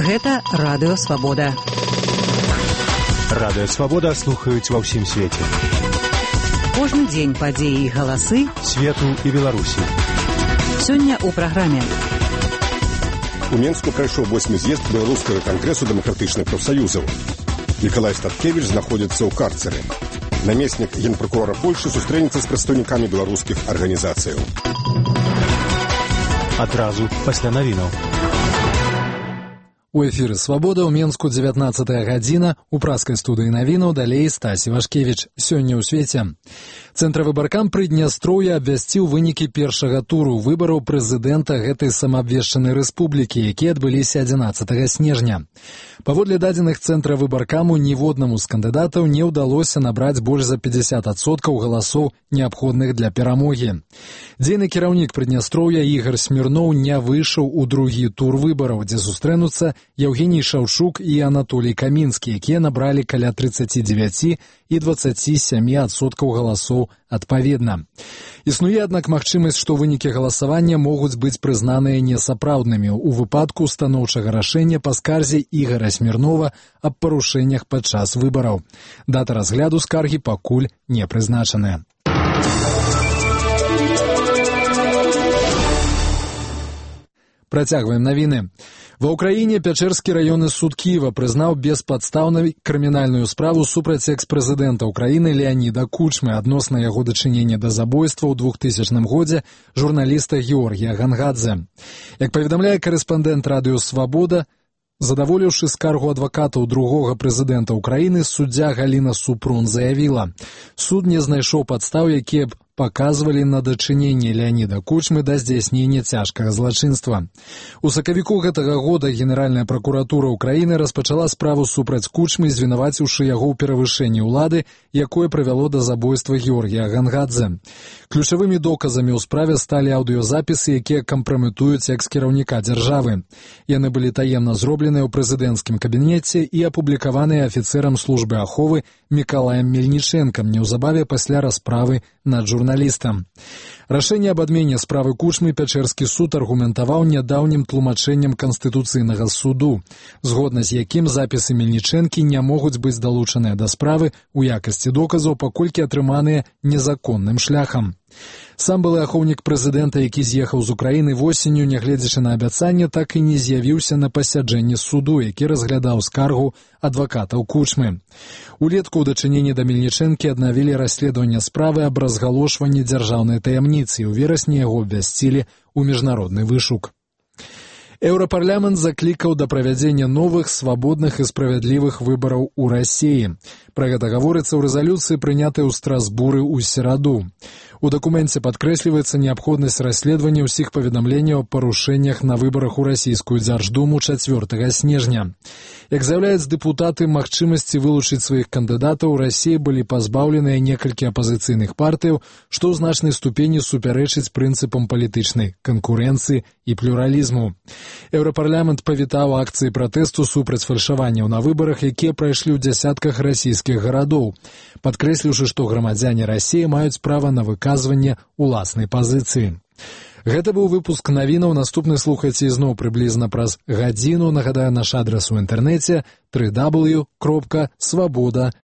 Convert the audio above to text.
Гэта Радыё Свабода. Радыё Свабода слухаюць ва ўсім свеце. Кожны дзень падзеі і галасы свету і Беларусі. Сёння ў праграме. У Менску прайшоў 8-й з'езд Беларускага кангрэсу дэмакратычных прафсаюзаў. Мікалай Статкевіч знаходзіцца ў карцеры. Намеснік генпракурора Польшы сустрэнецца з прадстаўнікамі беларускіх арганізацыяў. Адразу пасля навінаў. У эфіры «Свабода» ў Менску 19-я гадзіна. У праскай студыі навінаў далей Стасі Вашкевіч. Сёння ў свеце. Цэнтравыбаркам Прыднястроўя абвясціў вынікі першага туру выбараў прэзідэнта гэтай самаабвешчанай рэспублікі, якія адбыліся 11 снежня. Паводле дадзеных цэнтравыбаркаму ніводнаму з кандыдатаў не ўдалося набраць больш за 50% галасоў, неабходных для перамогі. Дзейны кіраўнік Прыднястроўя Ігар Смірноў не выйшаў у другі тур выбараў, дзе сустрэнуцца Евгений Шаўчук і Анатолій Камінскі, якія набралі каля 39 і 27% галасоў адпаведна. Існуе, аднак, магчымасць, што вынікі галасавання могуць быць прызнаныя несапраўднымі ў выпадку станоўчага рашэння па скарзе Ігара Смірнова аб парушэннях падчас выбараў. Дата разгляду скаргі пакуль не прызначаная. Працягваем навіны. Ва ўкраіне Пячэрскі раённы суд Кіева прызнаў беспадстаўнай крымінальную справу супраць экс-прэзідэнта ўкраіны Леаніда Кучмы адносна яго дачынення да забойства ў 2000 годзе журналіста Георгія Гангадзе. Як паведамляе корэспандэнт Радыё Свабода, задаволіўшы скаргу адвакатаў другога прэзідэнта ўкраіны, суддзя Галіна Супрун заявіла: суд не знайшоў падстаў, якія б паказвалі на дачыненне Леаніда Кучмы да здзяйснення цяжкага злачынства. У сакавіку гэтага года Генеральная пракуратура ўкраіны распачала справу супраць Кучмы, звінаваціўшы яго ў перавышэнні ўлады, якое прывяло да забойства Георгія Гангадзе. Ключавымі доказамі ў справе сталі аўдыёзапісы, якія кампраметуюць экс-кіраўніка дзяржавы. Яны былі таемна зробленыя ў прэзідэнцкім кабінеце і апублікаваныя афіцэрам службы аховы Мікалаем Мельнічэнкам неўзабаве пасля расправы над журналістам. Рашэнне аб адмене справы Кучмы Пячэрскі суд аргументаваў нядаўнім тлумачэннем Канстытуцыйнага суду, згодна з якім запісы Мельнічэнкі не могуць быць далучаныя да справы ў якасці доказаў, паколькі атрыманыя незаконным шляхам. Сам былы ахоўнік прэзідэнта, які з'ехаў з Украіны восенню, нягледзячы на абяцанне, так і не з'явіўся на пасяджэнні суду, які разглядаў скаргу адвакатаў Кучмы. Улетку ў дачыненні да Мельнічэнкі аднавілі расследаванне справы аб разгалошванні дзяржаўнай таямніцы, і ў верасні яго абвясцілі ў міжнародны вышук. Еўрапарламент заклікаў да правядзення новых, свабодных і справядлівых выбараў у Расіі. Пра гэта гаворыцца ў рэзалюцыі, прынятай у Страсбуры ў сераду. У дакуменце падкрэсліваецца неабходнасць расследавання ўсіх паведамленняў о парушэннях на выбарах у расійскую дзярждуму 4 снежня. Як заяўляюць дэпутаты, магчымасці вылучыць сваіх кандыдатаў у Расіі былі пазбаўленыя некалькі апазіцыйных партыяў, што ў значнай ступені супярэчыць прынцыпам палітычнай канкурэнцыі і плюралізму. Еўрапарламент павітаў акцыі пратэсту супраць фальшаванняў на выбарах, якія прайшлі ў дзясятках расійскіх гарадоў, падкрэсліўшы, што грамадзяне Расіі маюць права на выказванне ўласнай пазіцыі. Гэта быў выпуск навінаў. Наступны слухайце ізноў прыблізна праз гадзіну. Нагадаю, наш адрас у інтэрнэце www.swaboda.org.